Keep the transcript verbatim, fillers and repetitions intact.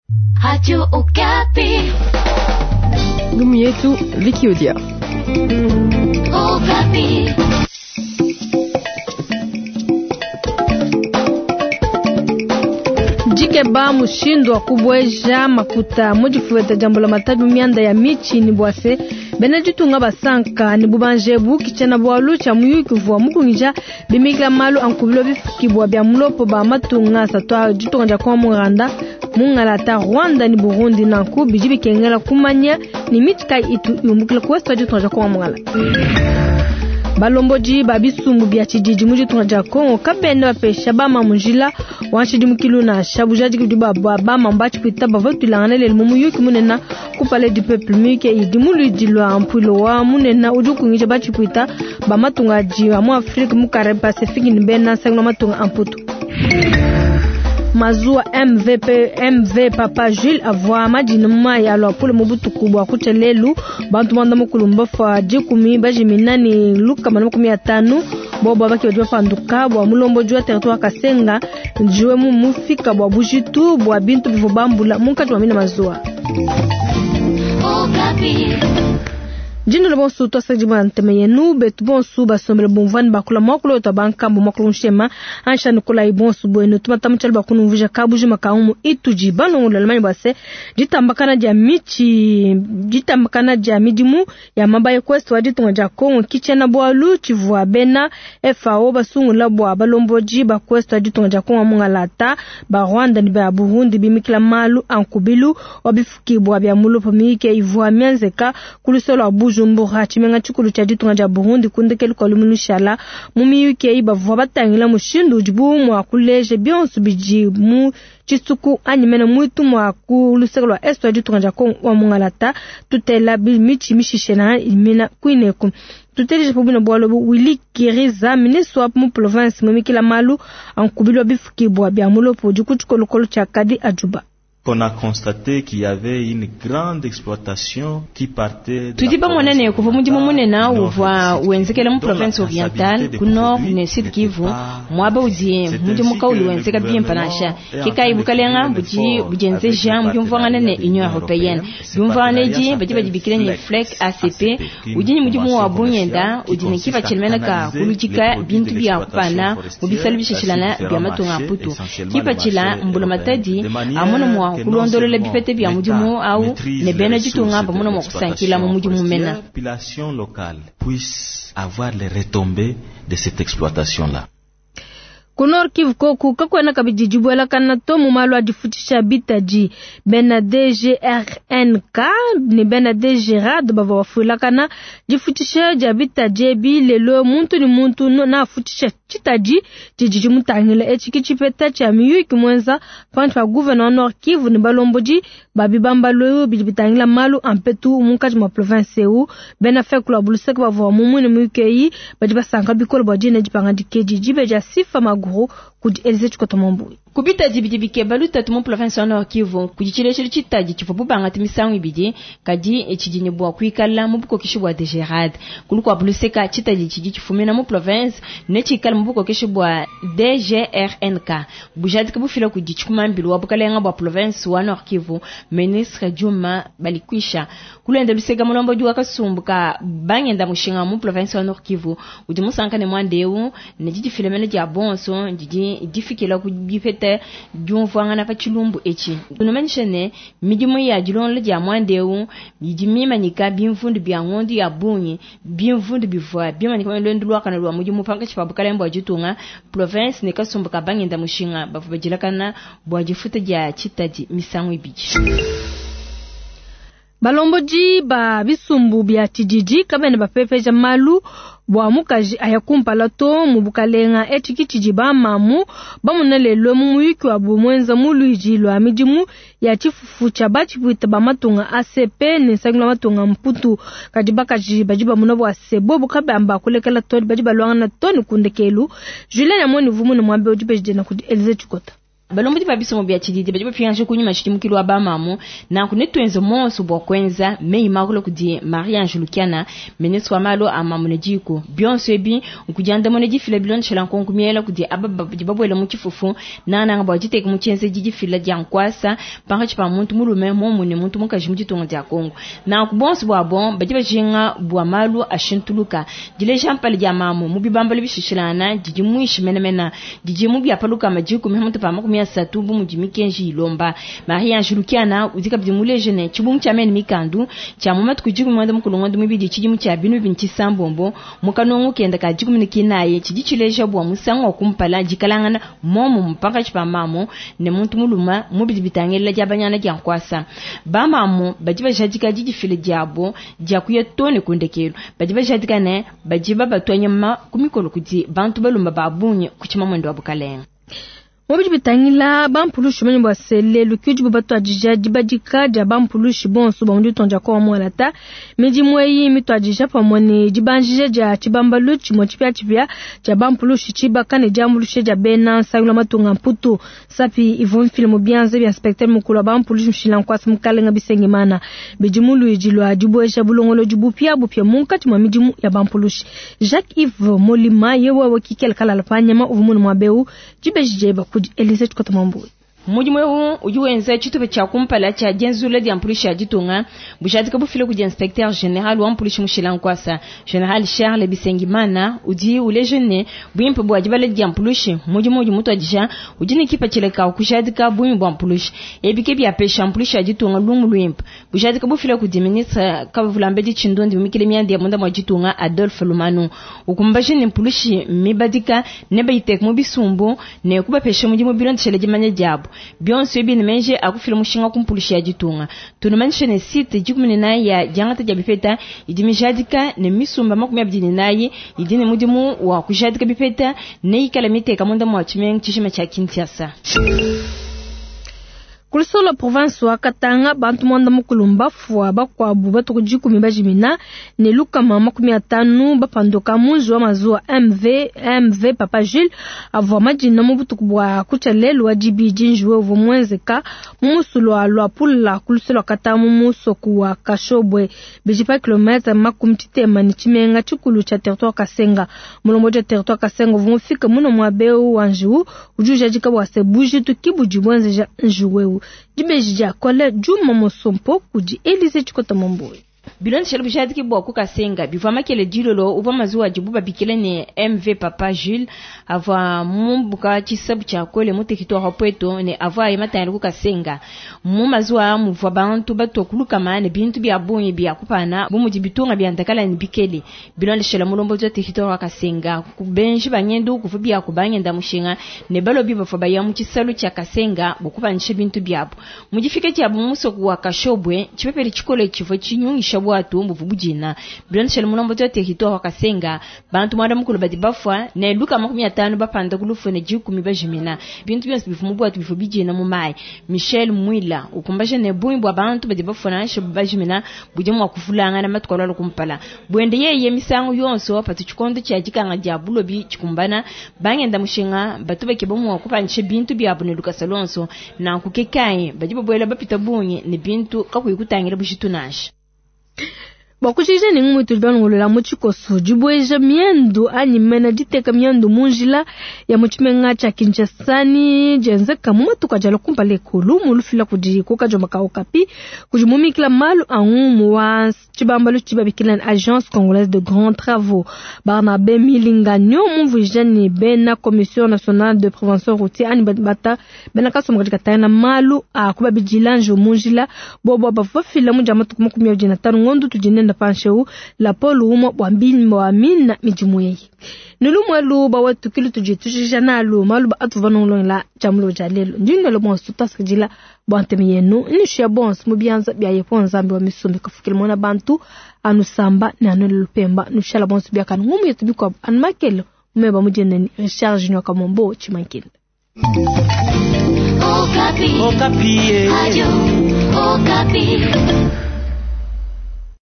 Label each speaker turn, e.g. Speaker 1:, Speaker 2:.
Speaker 1: Radio Okapi.
Speaker 2: Ngumu yetu Vicky Odia.
Speaker 1: Okapi.
Speaker 3: Jikeba mushindu wa kubweja makuta mudifueta jambo la matabi mianda ya michi ni bwase bena ditunga basanka ni bubanjebu kichana bwalu cha muyuki vwa mukungija bimikila malu ankubilo bifukibwa bya mulopo ba matunga satwa ditunga dia kwa muranda mungalata Rwanda ni Burundi nanku bidi bikengela kumanya ni michi kai itu yumbukila kuwesta ditunga dia kwa mungalata. Balomboji babisumbu bya chididi mu ditunga dia Kongo kabenda bapesha bama munjila wanshidi mukilu na shabuja dikudi ba bama mbachi kuita bava tulangana lelo mu muyuki munena ku palais du peuple muyuki idi muludi lwa mpulo wa munena udi ukungija bachi kuita ba matunga adi mu Afrique mu Caraïbes Pacifique ni bena nsangi matunga amputu. Mazua M V P M V Papa Jules avwa madina maya alwa pule mubutuku bwa kuchelelu bantu banda mukulumba fa dikumi bajimina ni luka mana makumi atanu bobo baki badi bapanduka bwa mulombo jwa territoire Kasenga njiwe mu mufika bwa bujitu bwa bintu bivo bambula munkati wa mina mazua. Jindo bonsu to sajima nteme yenu betu bonsu basombele bomvani bakula mwakulo to bankambo mwakulo nshema ansha nikola ibonsu bwenu tumata mchalo bakunumvuja kabuji makaumu ituji balongo lamani base ditambakana dia michi ditambakana dia midimu ya mabaye kwest wa ditunga dia Kongo kichena bwalu chivwa bena F A O basungula bwa balomboji ba kwest wa ditunga dia Kongo mungalata ba Rwanda ni ba Burundi bimikila malu ankubilu wabifukibwa bya mulupo mike ivwa mianzeka kulusolo abuju Bujumbura chimenga chikulu cha ditunga dia Burundi kundekelu kwa lumunushala mu miyuki eyi bavua batangila mushindu udibu mua kuleja bionso bidi mu tshisuku anyi mene muitu mua ku luseke lua est wa ditunga dia Kongo wa mungalata tutela michi mishishe na imina kuineku tuteleje pobuna bwalo Willy Kiriza ministre wa mu province mumikila malu ankubilwa bifukibwa bya mulopo dikutshikolokolo tshia kadi ajuba.
Speaker 4: On a constaté qu'il y avait une grande exploitation qui partait de
Speaker 5: Tudi bamonane kuva mudimu munene uvua wenzekela mu province orientale ku nord ne sud Kivu mwaba udi mudimu kauli wenzeka bimpa nansha kikayi bukalenga budi bujenzeja mu byumvangana ne Union européenne byumvangana edi badi badibikila ne FLEC A C P udi ni mudimu wa bunyenda udi ne kiva tshilemeneka kuludika bintu bya kupana mu bisalo bishishilana bya matunga aputu kipa tshila mbula matadi amona mwa kulondolola bipete bya mudimu au ne bena ditunga bamona mwa kusankila mu mudimu mena
Speaker 4: population locale puisse avoir les retombées de cette exploitation là.
Speaker 3: Ku Nord Kivu koku kakwena kabidi dibuela kana to mu malu a difutisha bitaji bena D G R N K ne bena D G R A D bavua bafuilakana difutisha dia bitaji ebi lelo muntu ni muntu na afutisha tshitaji tshidi tshimutangila etshi ki tshipeta tshia miyuki mwenza panshi pa gouverneur wa Nord Kivu ne balombodi ba bibambalu bidi bitangila malu a mpetu munkatshi mua province eu bena fekula buluseke bavua mumune miyuki eyi badi basanka bikole bua dina dipangadika edi dibe dia sifa maguru kudi Elize Tshikota Mwambui.
Speaker 5: Kubita dibidi bikeba lutatu mu province wa Nord Kivu kudi tshileshelu tshitadi tshivua bubangata misangu ibidi kadi tshidi ne bua kuikala mu bukokeshi bua D G R A D kulu kua buluseka tshitadi tshidi tshifumina mu province ne tshikala mu bukokeshi bua D G R N K bujadika bufila kudi tshikumambilu wa bukalenga bua province wa Nord Kivu ministre Juma Balikwisha kulenda luseka mulombodi wa kasumbu ka bangenda mushinga mu province wa Nord Kivu udi musanka ne mwandeu ne didifilemene dia bonso didi difikila ku bipeta diumvuangana pa tshilumbu etshi tunomanyisha ne midimu ya dilonda dia mwandeu idi mimanyika bimvundu bya ngondo ya bungi bimvundu bivua bimanyika lwendo lwakana lwa mudimu pankatshi pa bukalenga bua ditunga province ne kasumbu ka bangenda mushinga bavua badilakana bua difuta dia tshitadi misangu ibidi.
Speaker 3: Balomboji ba bisumbu bya tshididi kabene bapepeja malu bua mukaji aya kumpala to mu bukalenga etshi kitshidi bamamu bamuna lelo mu muyuki wa bumwenza mu luiji lwa midimu ya tshifufu tshia batshipuita ba matunga A C P ne nsangilu wa matunga mputu kadi bakaji badi bamuna bua se bobu kabamba kulekela to badi balwangana to ne kundekelu Julien Amoni vumu ne mwambe udi bejidena kudi Elize Tshikota.
Speaker 5: Balombodi ba bisomo bia tshididi badi bapingaje kunyima tshidimukilu wa bamamu nanku netuenze monso bua kuenza meyi makulu kudi Marie Ange Lukiana, ministre wa malu a mamu ne diku. Bionso ebi nkudiandamuna difila bilondeshela nkonko miela kudi aba badi babuela mu tshifufu nananga bua diteka mu tshienzedi difila dia nkuasa pankatshi pa muntu mulume momu ne muntu mukaji mu ditunga dia Kongo. Nanku bonso buabo badi bajinga bua malu ashintuluka. Dileja mpala dia mamu mu bibambalo bishishilana didi mwishi menemene didi mu biapaluka majiku mihamutu pa makumi asatu bu mudi mikenji ilomba. Marie Ange Lukiana udi kabidi muleje ne tshibungu tshia mene mikandu tshia mu matuku dikumi muanda mukulu ngondo mibidi tshidimu tshia binu bibidi tshisambombo mu kanungu kenda ka dikumi ne kinayi tshidi tshileja bua musangu wa kumpala dikalangana momu mpankatshi pa mamu ne muntu muluma mu bidi bitangila dia banyana dia nkuasa. Bamamu badi bajadika didifila diabo dia kuya to ne kundekelo badi bajadika ne badi babatwa nyama ku mikolo kudi bantu balumba ba bungi ku tshimamwendo wa bukalenga.
Speaker 3: Mobidi bitangila bampulushi manyi bwa sele lukyudi batwadija dibadika dia bampulushi bonso ba mundi tonja kwa mwalata midimu eyi mitwadija pamwe ne dibanjija dia tshibambalu tshimwe tshipia tshipia tshia bampulushi tshibaka ne diambulushe dia bena nsangilo matunga mputu sapi ivua mfile bianze bia inspecteur mukulu wa bampulushi mshila nkwasa mukalenga Bisengimana bidimu luidi lwa dibweja bulongolo dibupia bupia munkatshi mwa midimu ya bampulushi. Jacques Yves Molima yewe wakikela kalala panyama uvumunu mwabeu dibejije baku Elise Chikota Mambu.
Speaker 5: Mudimu eu udi wenza tshitupa tshia kumpala tshia dienzula dia mpulushi ya ditunga bujadika bufile kudi inspecteur general wa mpulushi mushila nkwasa General Charles Bisengimana udi uleje ne buimpe bua dibala dia mpulushi mudimu udi mutwadija udi ne kipatshila ka kujadika buimpe bua mpulushi ebike biapesha mpulushi ya ditunga lungu luimpe bujadika bufile kudi ministre Kavulambedi Tshindondi mumikile mianda ya munda mwa ditunga Adolphe Lumanu ukumbaje ne mpulushi mibadika ne bayiteka mu bisumbu ne kubapesha mudimu bilondeshele dimanya diabo. Bionso ebi ne akufila mushinga kumpulushi ya ditunga tunumanishe ne site dikumi ne nayi ya diangata dia bipeta idi mijadika ne misumba makumi abidi ne nayi idi ne mudimu wa kujadika bipeta ne ikala miteka munda mwa tshimenga tshishima tshia Kinshasa.
Speaker 3: Kulisola province wa Katanga bantu mwanda mukulu mbafwa bakwabu batuku dikumi bajimina ne lukama makumi atanu bapanduka munji wa mazuwa M V M V Papa Jules avwa majina mu butuku bwa kucha lelu wa dibidi njuwe uvua mwenzeka mu musulu wa Luapula kulisola Katanga mu musoku wa Kashobwe bijipa kilometre makumi tshitema ne tshimenga tshikulu tsha territoire Kasenga. Mulombo wa territoire Kasenga uvua mufika muno mwa beu wa njiwu udi ujadika bwa se bujitu kibudi bwenzeja njuwewu. Dibeji dia kole Juma Mosompo kudi Elise Chikota Mamboy.
Speaker 5: Bilondeshele bujadiki bua ku Kasenga bivua makele dilolo uvua mazuwa adibu babikile ne M V Papa Jules avua mumbuka tshisabu tshia kole mu territoire wa Pweto ne avua aye matangile ku Kasenga. Mu mazuwa muvua bantu batua kulukama ne bintu bia bungi bia kupana bu mudi bitunga bia ndakala ne bikele. Bilondeshele mulombodi wa territoire wa Kasenga kubenji banyendu kuvua bia kubangenda mushinga ne balobi bavua baya mu tshisalu tshia Kasenga bua kupanisha bintu biabu. Mu difika diabu mu musoko wa Kashobwe tshipepele tshikole tshivua tshinyungisha bwatu mbuvu bujina. Bilondeshele mulombodi wa territoire wa Kasenga bantu mwanda mukulu badi bafwa ne luka makumi atanu bapanda kulufu ne dikumi bajimina. Bintu bionso bivu mu bwatu bivu bijina mu mai. Michel Mwila ukumbaje ne bungi bwa bantu badi bafwa nansha bajimina budi mwa kufulangana matuku alwa kumpala. Bwende yeye misangu yonso patu tshikondo tshia dikanga dia bulobi tshikumbana bangenda mushinga batu bakeba mwa kupanisha bintu biabu ne lukasa lonso na kukekai badi babwela bapita bungi ne bintu kakuyi kutangira bujitu nansha.
Speaker 3: Bakushije ni ngumwe tulibangolola mu tshikoso dibweja miendu anyi mena diteka miendu munjila ya mutshimenga tshia Kinshasa ni dienzeka mu matuku ajala kumpala ekulu mulufila kudi kukajo Okapi kudi mumikila malu a ngumu wa tshibambalu tshibabikila Agence Congolaise de Grands Travaux Barnabé Milinganyo mumvuija ni bena Commission Nationale de Prévention Routière anyi bata bena kasomba katika tayana malu a kubabidila njo munjila bobo bafafila mu dia matuku makumi abidi na tanu ngondo tudinenda pansheu la polu umwa bwa mbini wa mina midimu yeyi nilumwelu ba wetu kilu tujitujija nalu malu ba atu vanongolonga chamulo ja lelo ndinelo bonso tasikidila bwantemi yenu nishuya bonso mu bianza bia yepo nzambi wa misumbi kafukile mwana bantu anusamba ne anelo lupemba nushala bonso biakanu ngumu yetu bikwabu anumakelo mumeba mudieneni Richard Junior Kamombo Chimankile.
Speaker 1: Okapi. Okapi. Radio Okapi.